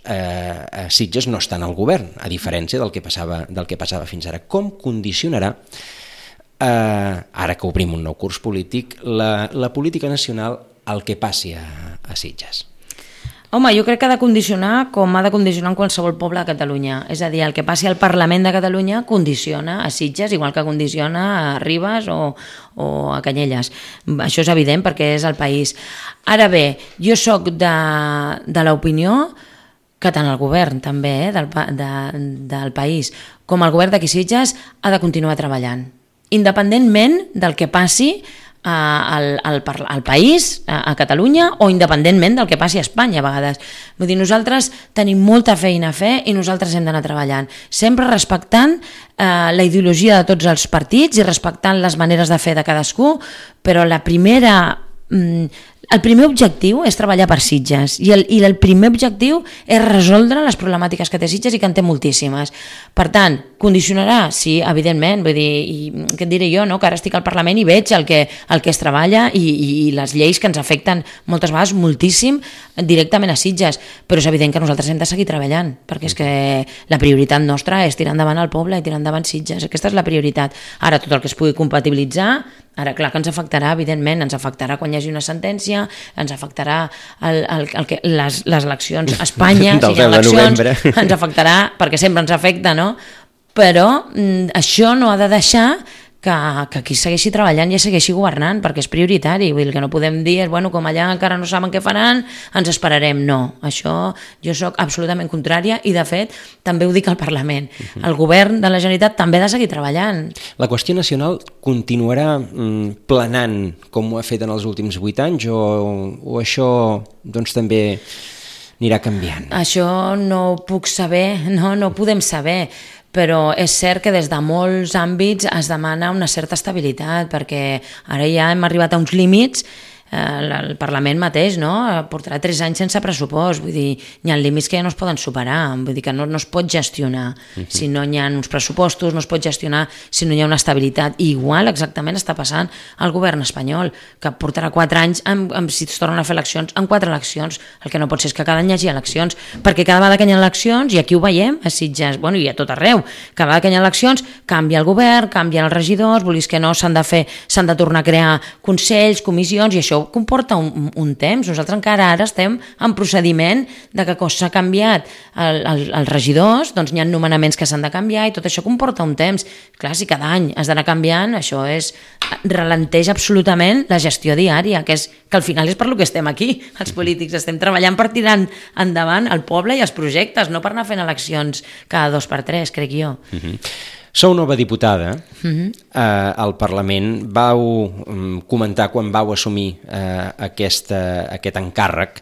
Speaker 2: a Sitges no estan al govern, a diferència del que passava fins ara. Com condicionarà, ara que obrim un nou curs polític, la política nacional al que passi a Sitges?
Speaker 3: Home, jo crec que ha de condicionar com ha de condicionar en qualsevol poble de Catalunya. És a dir, el que passi al Parlament de Catalunya condiciona a Sitges, igual que condiciona a Ribes o a Canyelles. Això és evident perquè és el país. Ara bé, jo sóc de l'opinió que tant el govern també del país com el govern d'aquí Sitges ha de continuar treballant, independentment del que passi al país, a Catalunya, o independentment del que passi a Espanya a vegades. Vull dir, nosaltres tenim molta feina a fer i nosaltres hem d'anar treballant, sempre respectant la ideologia de tots els partits i respectant les maneres de fer de cadascú, però el primer objectiu és treballar per Sitges, i el primer objectiu és resoldre les problemàtiques que té Sitges, i que en té moltíssimes. Per tant, condicionarà? Sí, evidentment. Vull dir, i què et diré jo, no? Que ara estic al Parlament i veig el que es treballa i les lleis que ens afecten moltes vegades moltíssim directament a Sitges, però és evident que nosaltres hem de seguir treballant, perquè és que la prioritat nostra és tirar endavant el poble i tirar endavant Sitges. Aquesta és la prioritat. Ara, tot el que es pugui compatibilitzar, ara clar que ens afectarà, evidentment, ens afectarà quan hi hagi una sentència, ens afectarà les eleccions a Espanya, si hi ha eleccions, ens afectarà, perquè sempre ens afecta, no? Però això no ha de deixar que aquí segueixi treballant i segueixi governant, perquè és prioritari. Vull dir, el que no podem dir és, bueno, com allà encara no saben què faran, ens esperarem. No, això jo sóc absolutament contrària, i de fet també ho dic al Parlament. El govern de la Generalitat també ha de seguir treballant.
Speaker 2: La qüestió nacional continuarà planant com ho ha fet en els últims 8 anys, o això també anirà canviant?
Speaker 3: Això no ho puc saber, no ho podem saber, però és cert que des de molts àmbits es demana una certa estabilitat, perquè ara ja hem arribat a uns límits. El Parlament mateix, no? Portarà 3 anys sense pressupost, vull dir, hi ha límits que ja no es poden superar, vull dir que no es pot gestionar si no hi ha uns pressupostos, no es pot gestionar si no hi ha una estabilitat. I igual exactament està passant al govern espanyol, que portarà 4 anys, si es tornen a fer eleccions, en 4 eleccions. El que no pot ser és que cada any hi hagi eleccions, perquè cada vegada que hi ha eleccions, i aquí ho veiem a Sitges, bueno, i a tot arreu, cada vegada que hi ha eleccions canvia el govern, canvien els regidors, volies que no, s'han de tornar a crear consells, comissions, i això ho això comporta un temps. Nosaltres encara ara estem en procediment de que s'ha canviat els regidors, doncs hi ha nomenaments que s'han de canviar i tot això comporta un temps. Clar, si cada any has d'anar canviant, això ralenteix absolutament la gestió diària, que al final és per lo que estem aquí, els polítics. Estem treballant per tirar endavant el poble i els projectes, no per anar fent eleccions cada 2 per 3, crec jo.
Speaker 2: Sou nova diputada al Parlament. Vau comentar quan vau assumir aquest encàrrec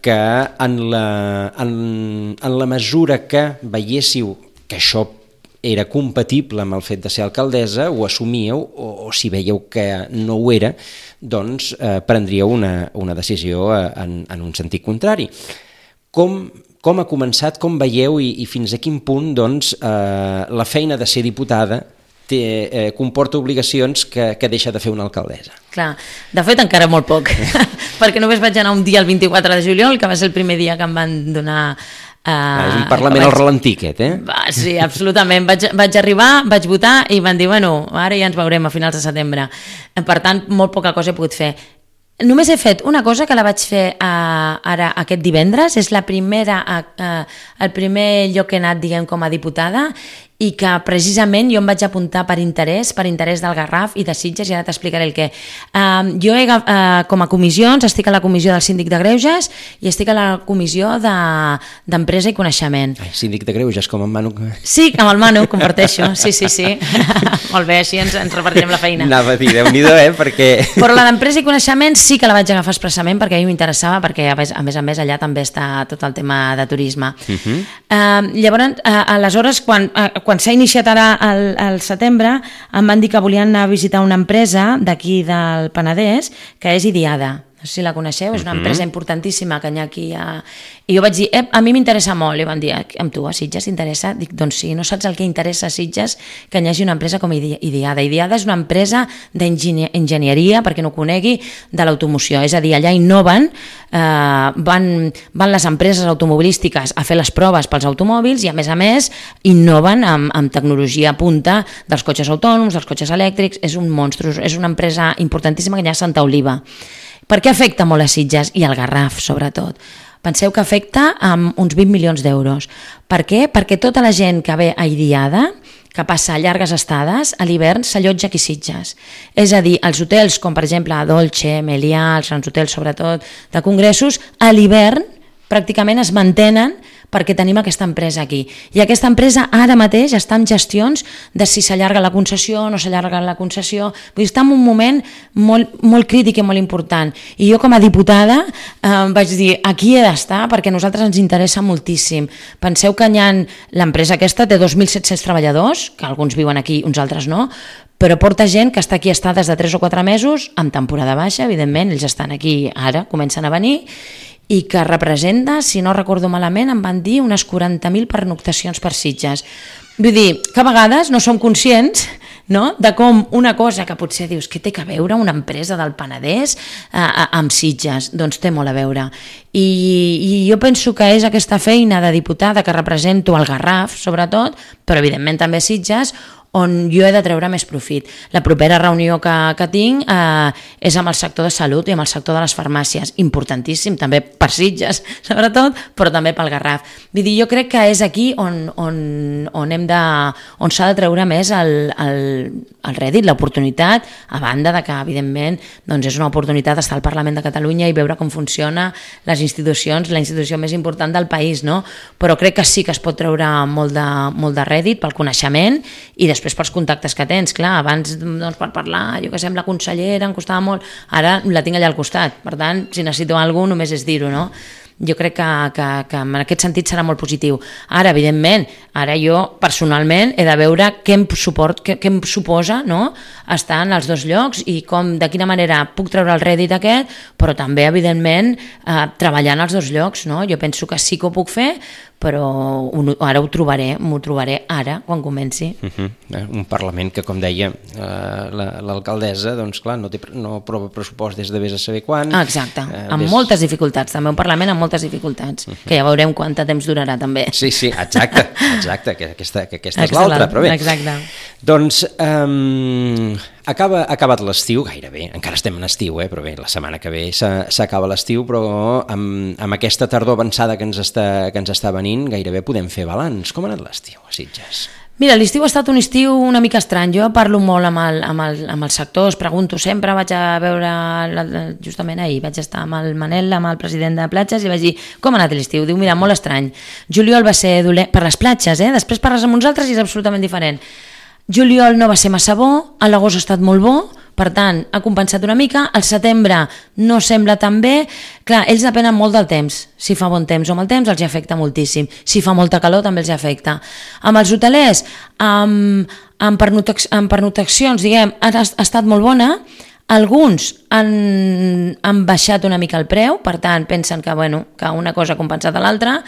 Speaker 2: que en la mesura que veiéssiu que això era compatible amb el fet de ser alcaldessa, ho assumíeu, o si veieu que no ho era, doncs prendríeu una decisió en un sentit contrari. Com ha començat, com veieu i fins a quin punt doncs, la feina de ser diputada comporta obligacions que deixa de fer una alcaldessa?
Speaker 3: Clar, de fet encara molt poc, perquè només vaig anar un dia el 24 de juliol, que va ser el primer dia que em van donar...
Speaker 2: és un Parlament al ralentí aquest,
Speaker 3: Sí, absolutament. Vaig arribar, vaig votar i van dir, bueno, ara ja ens veurem a finals de setembre. Per tant, molt poca cosa he pogut fer. Només he fet una cosa que la vaig fer ara aquest divendres, és el primer lloc que he anat, diguem, com a diputada, i que precisament jo em vaig apuntar per interès del Garraf i de Sitges, i ara t'explicaré el què. Jo com a comissions estic a la comissió del Síndic de Greuges i estic a la comissió d'Empresa i Coneixement.
Speaker 2: Síndic de Greuges, com en Manu.
Speaker 3: Sí, amb el Manu, comparteixo, sí. Molt bé, així ens repartirem la feina.
Speaker 2: Anava a dir, Déu-n'hi-do, perquè...
Speaker 3: Però la d'Empresa i Coneixement sí que la vaig agafar expressament perquè a mi m'interessava, perquè a més allà també està tot el tema de turisme. Llavors, aleshores, quan s'ha iniciat ara al setembre, em van dir que volien anar a visitar una empresa d'aquí del Penedès, que és Idiada. No sé si la coneixeu, és una empresa importantíssima que hi ha aquí. I jo vaig dir, a mi m'interessa molt. I van dir, amb tu, a Sitges t'interessa? Dic, doncs sí, no saps el que interessa a Sitges, que hi hagi una empresa com Idiada. Idiada és una empresa d'enginyeria, perquè no ho conegui, de l'automoció. És a dir, allà innoven, van les empreses automobilístiques a fer les proves pels automòbils i, a més, innoven amb tecnologia punta dels cotxes autònoms, dels cotxes elèctrics. És un monstru, és una empresa importantíssima que hi ha a Santa Oliva. Per què afecta molt a Sitges i al Garraf, sobretot? Penseu que afecta amb uns 20 milions d'euros. Per què? Perquè tota la gent que ve a Idiada, que passa llargues estades, a l'hivern s'allotja aquí a Sitges. És a dir, els hotels, com per exemple Dolce, Melià, els grans hotels sobretot de congressos, a l'hivern pràcticament es mantenen perquè tenim aquesta empresa aquí. I aquesta empresa ara mateix està en gestions de si s'allarga la concessió o no s'allarga la concessió. Vull dir, està en un moment molt crític i molt important. I jo com a diputada vaig dir, aquí he d'estar perquè a nosaltres ens interessa moltíssim. Penseu que l'empresa aquesta té 2.700 treballadors, que alguns viuen aquí, uns altres no, però porta gent que està aquí estades de 3 o 4 mesos, amb temporada baixa, evidentment, ells estan aquí ara, comencen a venir, i que representa, si no recordo malament, em van dir unes 40.000 pernoctacions per Sitges. Vull dir que a vegades no som conscients, no?, de com una cosa que potser dius que té a veure una empresa del Penedès amb Sitges, doncs té molt a veure. I jo penso que és aquesta feina de diputada que represento el Garraf, sobretot, però evidentment també Sitges, on jo he de treure més profit. La propera reunió que tinc és amb el sector de salut i amb el sector de les farmàcies, importantíssim, també per Sitges, sobretot, però també pel Garraf. Vull dir, jo crec que és aquí on s'ha de treure més el rèdit, l'oportunitat, a banda de que, evidentment, doncs és una oportunitat estar al Parlament de Catalunya i veure com funciona les institucions, la institució més important del país, no? Però crec que sí que es pot treure molt de rèdit pel coneixement i després pels contactes que tens. Clar, abans doncs, per parlar, jo que sé, amb la consellera em costava molt, ara la tinc allà al costat, per tant, si necessito alguna cosa només és dir-ho, no? Jo crec que en aquest sentit serà molt positiu. Ara, evidentment, ara jo personalment he de veure què em suposa, no?, estar en els dos llocs i de quina manera puc treure el rèdit aquest, però també, evidentment, treballar en els dos llocs, no? Jo penso que sí que ho puc fer, però ara m'ho trobaré ara, quan comenci.
Speaker 2: Un Parlament que, com deia l'alcaldessa, doncs clar, no aprova pressupost des de vés a saber quan.
Speaker 3: Exacte, amb moltes dificultats, també un Parlament amb moltes dificultats, que ja veurem quant temps durarà també.
Speaker 2: Sí, exacte, que aquesta és l'altra, però bé.
Speaker 3: Exacte.
Speaker 2: Doncs ha acabat l'estiu, gairebé, encara estem en estiu, però bé, la setmana que ve s'acaba l'estiu, però amb aquesta tardor avançada que ens està venint, gairebé podem fer balanç. Com ha anat l'estiu a Sitges?
Speaker 3: Mira, l'estiu ha estat un estiu una mica estrany. Jo parlo molt amb el sector, es pregunto sempre, vaig a veure, justament ahir, vaig estar amb el Manel, amb el president de platges, i vaig dir, com ha anat l'estiu? Diu, mira, molt estrany. Juliol va ser dolent per les platges, després parles amb uns altres i és absolutament diferent. Juliol no va ser massa bo, l'agost ha estat molt bo, per tant, ha compensat una mica, el setembre no sembla tan bé, clar, ells depenen molt del temps, si fa bon temps o mal temps els hi afecta moltíssim, si fa molta calor també els hi afecta. Amb els hotelers, amb pernoctacions, diguem, ha estat molt bona. Alguns han baixat una mica el preu, per tant pensen que una cosa ha compensat a l'altra,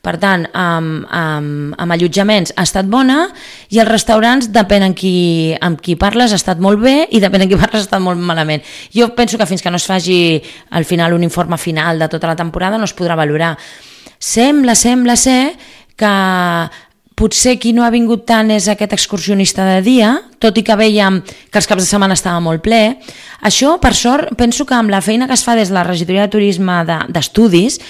Speaker 3: per tant amb allotjaments ha estat bona, i els restaurants depèn amb qui parles ha estat molt bé i depèn amb qui parles ha estat molt malament. Jo penso que fins que no es faci al final un informe final de tota la temporada no es podrà valorar. Sembla ser que potser qui no ha vingut tant és aquest excursionista de dia, tot i que veiem que els caps de setmana estava molt ple. Això, per sort, penso que amb la feina que es fa des de la regidoria de turisme d'estudis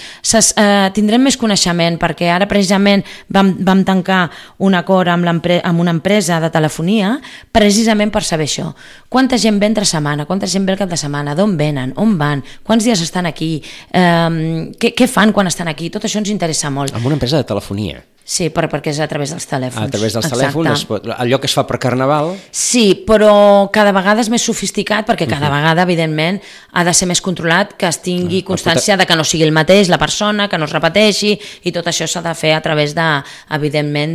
Speaker 3: tindrem més coneixement, perquè ara precisament vam tancar un acord amb una empresa de telefonia precisament per saber això. Quanta gent ve entre setmana, quanta gent ve el cap de setmana, d'on venen, on van, quants dies estan aquí, què fan quan estan aquí, tot això ens interessa molt.
Speaker 2: Amb una empresa de telefonia?
Speaker 3: Sí, perquè és a través dels telèfons.
Speaker 2: A través dels telèfons, allò que es fa per Carnaval...
Speaker 3: Sí, però cada vegada és més sofisticat, perquè cada vegada, evidentment, ha de ser més controlat, que es tingui constància de que no sigui el mateix la persona, que no es repeteixi, i tot això s'ha de fer a través, evidentment,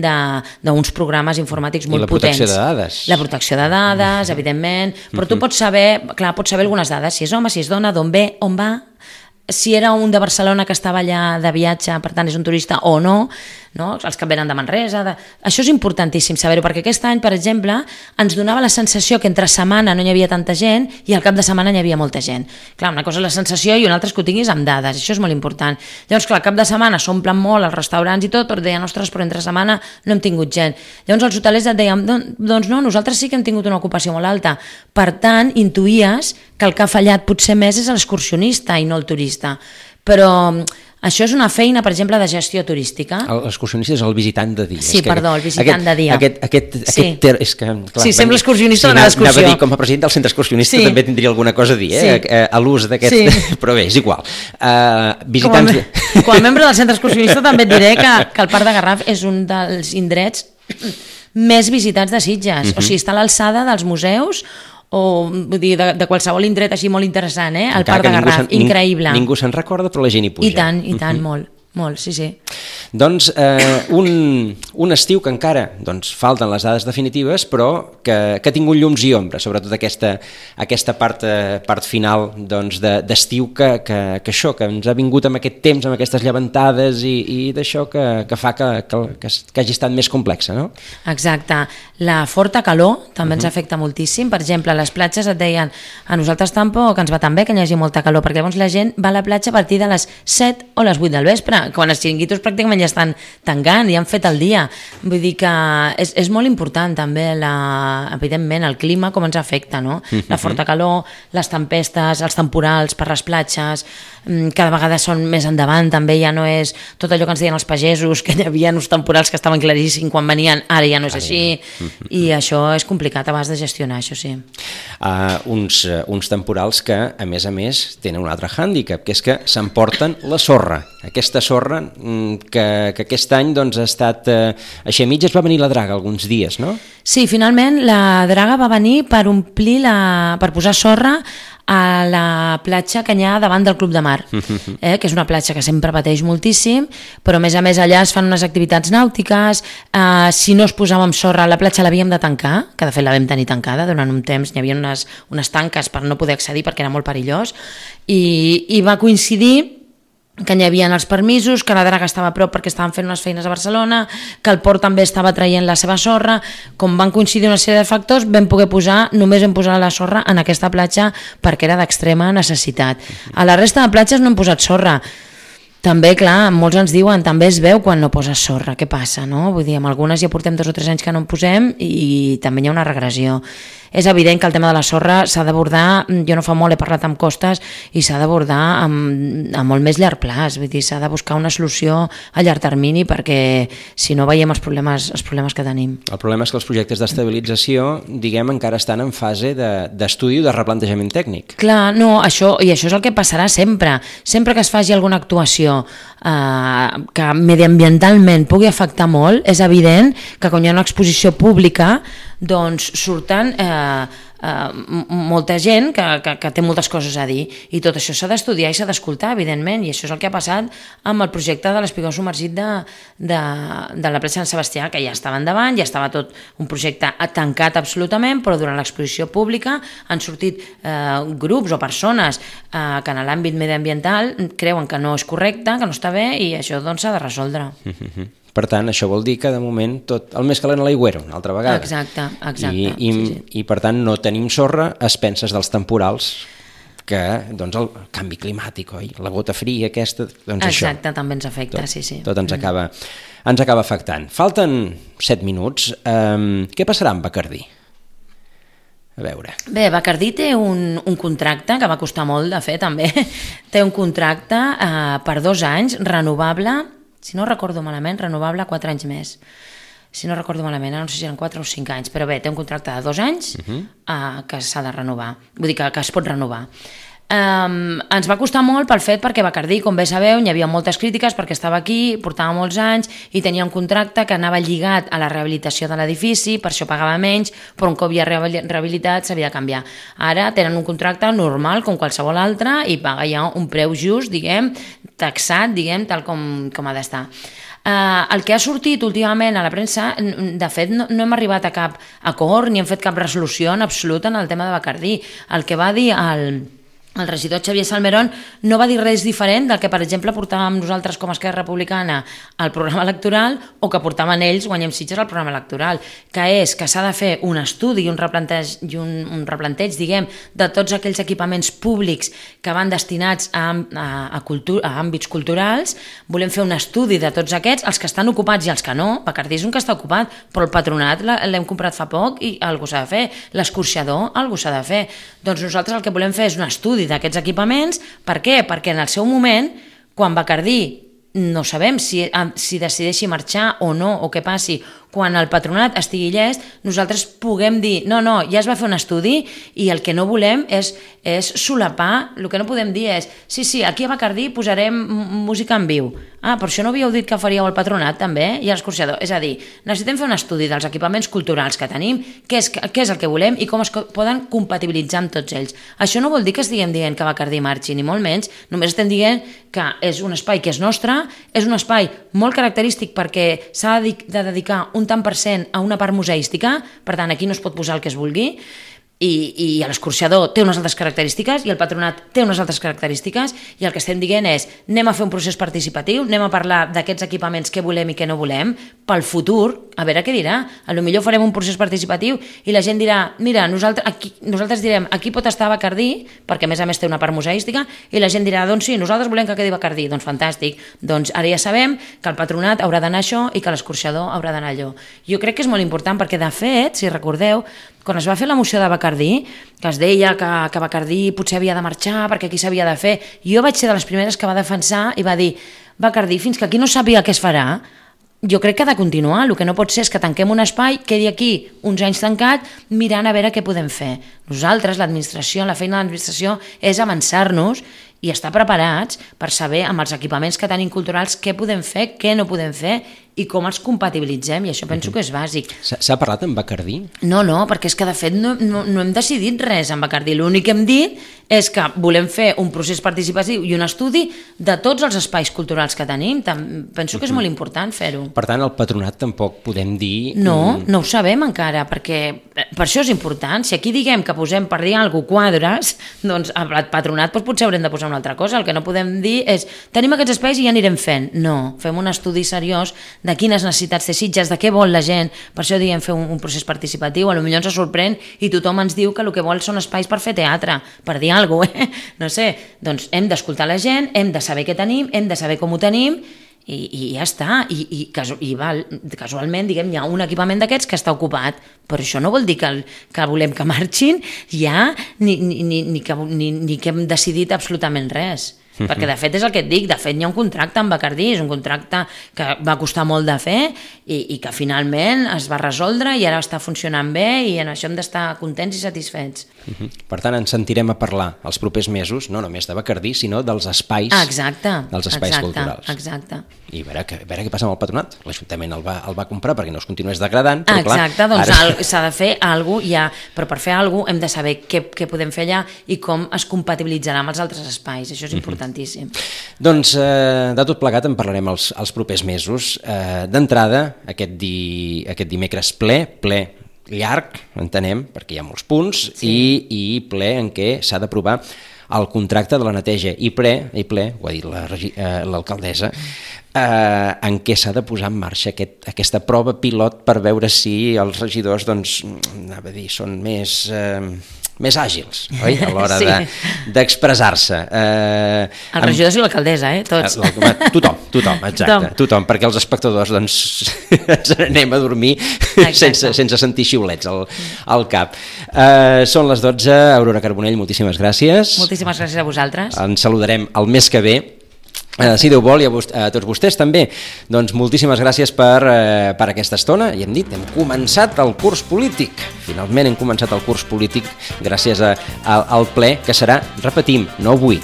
Speaker 3: d'uns programes informàtics molt potents.
Speaker 2: I la protecció de dades.
Speaker 3: La protecció de dades, evidentment, però tu pots saber algunes dades, si és home, si és dona, d'on ve, on va, si era un de Barcelona que estava allà de viatge, per tant és un turista o no, els que venen de Manresa, això és importantíssim saber-ho, perquè aquest any, per exemple, ens donava la sensació que entre setmana no hi havia tanta gent i al cap de setmana hi havia molta gent. Clar, una cosa és la sensació i una altra és que ho tinguis amb dades, això és molt important. Llavors, clar, al cap de setmana s'omplen molt els restaurants i tot, però deien, ostres, però entre setmana no hem tingut gent. Llavors els hotelers et deien, doncs no, nosaltres sí que hem tingut una ocupació molt alta. Per tant, intuïes que el que ha fallat potser més és l'excursionista i no el turista. Però això és una feina, per exemple, de gestió turística.
Speaker 2: L'excursionista és el visitant de dia.
Speaker 3: Sí, el visitant de dia.
Speaker 2: Sí,
Speaker 3: sembla excursionista o l'excursió.
Speaker 2: Anava a dir, com a president del centre excursionista també tindria alguna cosa a dir, a l'ús d'aquest... Però bé, és igual.
Speaker 3: Com a membre del centre excursionista també et diré que el Parc de Garraf és un dels indrets més visitats de Sitges. O sigui, està a l'alçada dels museus o vull dir, de qualsevol indret així molt interessant, el Parc de Garraf, increïble.
Speaker 2: Ningú se'n recorda, però la gent hi puja.
Speaker 3: I tant, molt, sí.
Speaker 2: Doncs un estiu que encara falten les dades definitives, però que ha tingut llums i ombres, sobretot aquesta part final d'estiu que ens ha vingut amb aquest temps, amb aquestes llevantades i d'això que fa que hagi estat més complexa, no?
Speaker 3: Exacte. La forta calor també ens afecta moltíssim. Per exemple, a les platges et deien, a nosaltres tampoc ens va tan bé que hi hagi molta calor, perquè llavors la gent va a la platja a partir de les 7 o les 8 del vespre, quan els xiringuitos pràcticament ja estan tancant i han fet el dia. Vull dir que és molt important també, evidentment, el clima, com ens afecta, no? La forta calor, les tempestes, els temporals per les platges, cada vegada són més endavant, també ja no és tot allò que ens deien els pagesos, que hi havia uns temporals que estaven claríssims quan venien, ara ja no és així, i això és complicat abans de gestionar, això sí.
Speaker 2: Uns temporals que, a més, tenen un altre hàndicap, que és que s'emporten la sorra. Aquesta sorra que aquest any ha estat... Així a mitges va venir la draga alguns dies, no?
Speaker 3: Sí, finalment la draga va venir per per posar sorra a la platja que hi ha davant del Club de Mar, que és una platja que sempre pateix moltíssim, però a més allà es fan unes activitats nàutiques. Si no es posava amb sorra, la platja l'havíem de tancar, que de fet la vam tenir tancada durant un temps, hi havia unes tanques per no poder accedir perquè era molt perillós, i va coincidir que hi havia els permisos, que la draga estava a prop perquè estaven fent unes feines a Barcelona, que el port també estava traient la seva sorra. Com van coincidir una sèrie de factors, només vam posar la sorra en aquesta platja perquè era d'extrema necessitat. A la resta de platges no hem posat sorra. També, clar, molts ens diuen, també es veu quan no poses sorra, què passa, no? Vull dir, amb algunes ja portem 2 o 3 anys que no en posem i també hi ha una regressió. És evident que el tema de la sorra s'ha d'abordar, jo no fa molt he parlat amb Costes, i s'ha d'abordar amb molt més llarg plaç, vull dir, s'ha de buscar una solució a llarg termini perquè si no veiem els problemes que tenim.
Speaker 2: El problema és que els projectes d'estabilització, diguem, encara estan en fase d'estudi o de replantejament tècnic.
Speaker 3: Clar, no, això és el que passarà sempre. Sempre que es faci alguna actuació que mediambientalment pugui afectar molt, és evident que quan hi ha una exposició pública doncs surten molta gent que té moltes coses a dir i tot això s'ha d'estudiar i s'ha d'escoltar, evidentment, i això és el que ha passat amb el projecte de l'espigó submergit de la plaça Sant Sebastià, que ja estava endavant, ja estava tot un projecte tancat absolutament, però durant l'exposició pública han sortit grups o persones que en l'àmbit mediambiental creuen que no és correcte, que no està bé, i això doncs s'ha de resoldre.
Speaker 2: Per tant, això vol dir que de moment tot el més calent a l'aigüero, una altra vegada.
Speaker 3: Exacte.
Speaker 2: I per tant no tenim sorra a expenses dels temporals, que doncs el canvi climàtic, oi? La gota fria aquesta, doncs això.
Speaker 3: Exacte, també ens afecta, sí.
Speaker 2: Tot ens acaba afectant. Falten 7 minuts. Què passarà amb Bacardí? A veure.
Speaker 3: Bé, Bacardí té un contracte que va costar molt de fer també. Té un contracte per 2 anys, renovable, si no recordo malament, renovable 4 anys més. Si no recordo malament, no sé si eren 4 o 5 anys, però bé, té un contracte de 2 anys que s'ha de renovar, vull dir que es pot renovar. Ens va costar molt pel fet perquè Bacardí, com bé sabeu, hi havia moltes crítiques perquè estava aquí, portava molts anys i tenia un contracte que anava lligat a la rehabilitació de l'edifici, per això pagava menys, però un cop ja rehabilitat s'havia de canviar. Ara tenen un contracte normal com qualsevol altre i paga ja un preu just, diguem, taxat, diguem, tal com ha d'estar. El que ha sortit últimament a la premsa, de fet no hem arribat a cap acord ni hem fet cap resolució en absolut en el tema de Bacardí. El que va dir el regidor Xavier Salmerón no va dir res diferent del que, per exemple, portàvem nosaltres com a Esquerra Republicana al programa electoral o que portaven ells, Guanyem Sitges, al programa electoral, que és que s'ha de fer un estudi i un replanteig, diguem, de tots aquells equipaments públics que van destinats a àmbits culturals. Volem fer un estudi de tots aquests, els que estan ocupats i els que no. Bacardí és un que està ocupat, però el Patronat l'hem comprat fa poc i algú s'ha de fer. L'escorxador, algú s'ha de fer. Doncs nosaltres el que volem fer és un estudi d'aquests equipaments. Per què? Perquè en el seu moment, quan Bacardí, no sabem si decideixi marxar o no, o què passi, quan el Patronat estigui llest, nosaltres puguem dir no, ja es va fer un estudi i el que no volem és solapar, el que no podem dir és sí, aquí a Bacardí posarem música en viu. Per això no havíeu dit que faríeu el Patronat també i l'escorxador. És a dir, necessitem fer un estudi dels equipaments culturals que tenim, què és el que volem i com es poden compatibilitzar amb tots ells. Això no vol dir que estiguem dient que Bacardí marxi, ni molt menys, només estem dient que és un espai que és nostre, és un espai molt característic perquè s'ha de dedicar un tant per cent a una part museística, per tant aquí no es pot posar el que es vulgui, i l'escorxador té unes altres característiques i el Patronat té unes altres característiques i el que estem dient és anem a fer un procés participatiu, anem a parlar d'aquests equipaments, què volem i què no volem pel futur, a veure què dirà. Potser farem un procés participatiu i la gent dirà, mira, nosaltres direm aquí pot estar Bacardí, perquè a més té una part museística, i la gent dirà, doncs sí, nosaltres volem que quedi Bacardí. Doncs fantàstic, doncs ara ja sabem que el Patronat haurà d'anar això i que l'escorxador haurà d'anar allò. Jo crec que és molt important perquè, de fet, si recordeu, quan es va fer la moció de Bacardí, que es deia que Bacardí potser havia de marxar perquè aquí s'havia de fer, jo vaig ser de les primeres que va defensar i va dir, Bacardí, fins que aquí no sàpiga què es farà, jo crec que ha de continuar. El que no pot ser és que tanquem un espai, quedi aquí uns anys tancat, mirant a veure què podem fer. Nosaltres, l'administració, la feina de l'administració és avançar-nos i estar preparats per saber amb els equipaments que tenim culturals què podem fer, què no podem fer i com els compatibilitzem, i això penso que és bàsic.
Speaker 2: S'ha parlat amb Bacardí?
Speaker 3: No, perquè és que de fet no hem decidit res amb Bacardí. L'únic que hem dit és que volem fer un procés participatiu i un estudi de tots els espais culturals que tenim. Penso que és molt important fer-ho.
Speaker 2: Per tant, el Patronat tampoc podem dir...
Speaker 3: No ho sabem encara, perquè per això és important. Si aquí diguem que posem, per dir alguna cosa, quadres, doncs al Patronat potser haurem de posar una altra cosa. El que no podem dir és tenim aquests espais i ja anirem fent. No, fem un estudi seriós de quines necessitats té Sitges, de què vol la gent. Per això diem fer un procés participatiu. Potser ens sorprèn i tothom ens diu que el que vol són espais per fer teatre, per dir alguna cosa, No sé, doncs hem d'escoltar la gent, hem de saber què tenim, hem de saber com ho tenim i ja està. I casualment, diguem, hi ha un equipament d'aquests que està ocupat, però això no vol dir que volem que marxin ja ni que hem decidit absolutament res. Perquè de fet és el que et dic, de fet hi ha un contracte amb Bacardí, és un contracte que va costar molt de fer i que finalment es va resoldre i ara està funcionant bé i en això hem d'estar contents i satisfets.
Speaker 2: Per tant, ens sentirem a parlar els propers mesos, no només de Bacardí, sinó dels espais, culturals.
Speaker 3: Exacte.
Speaker 2: I a veure què passa amb el Patronat. L'Ajuntament el va comprar perquè no es continués degradant, però
Speaker 3: exacte, doncs ara s'ha de fer alguna cosa ja, però per fer alguna cosa hem de saber què podem fer allà i com es compatibilitzarà amb els altres espais, això és importantíssim.
Speaker 2: Doncs de tot plegat en parlarem els propers mesos. D'entrada, aquest dimecres ple llarg, entenem, perquè hi ha molts punts, i ple en què s'ha d'aprovar el contracte de la neteja, i ple, ho ha dit l'alcaldessa, en què s'ha de posar en marxa aquesta prova pilot per veure si els regidors, doncs, anava a dir, són més àgils, oi? A l'hora d'expressar-se.
Speaker 3: Els regidors i l'alcaldessa, tots.
Speaker 2: Tothom, exacte. Tothom, perquè els espectadors doncs, ens anem a dormir sense sentir xiulets al cap. Són les 12, Aurora Carbonell, moltíssimes gràcies.
Speaker 3: Moltíssimes gràcies a vosaltres.
Speaker 2: Ens saludarem el mes que ve. Si Déu vol, i a tots vostès també, doncs moltíssimes gràcies per aquesta estona. I hem dit, hem començat el curs polític. Finalment hem començat el curs polític gràcies al ple, que serà, repetim, no avui,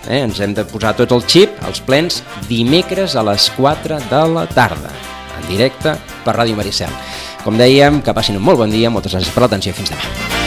Speaker 2: ens hem de posar tot el xip, els plens, dimecres a les 4 de la tarda, en directe per Ràdio Maricel. Com dèiem, que passin un molt bon dia, moltes gràcies per l'atenció i fins demà.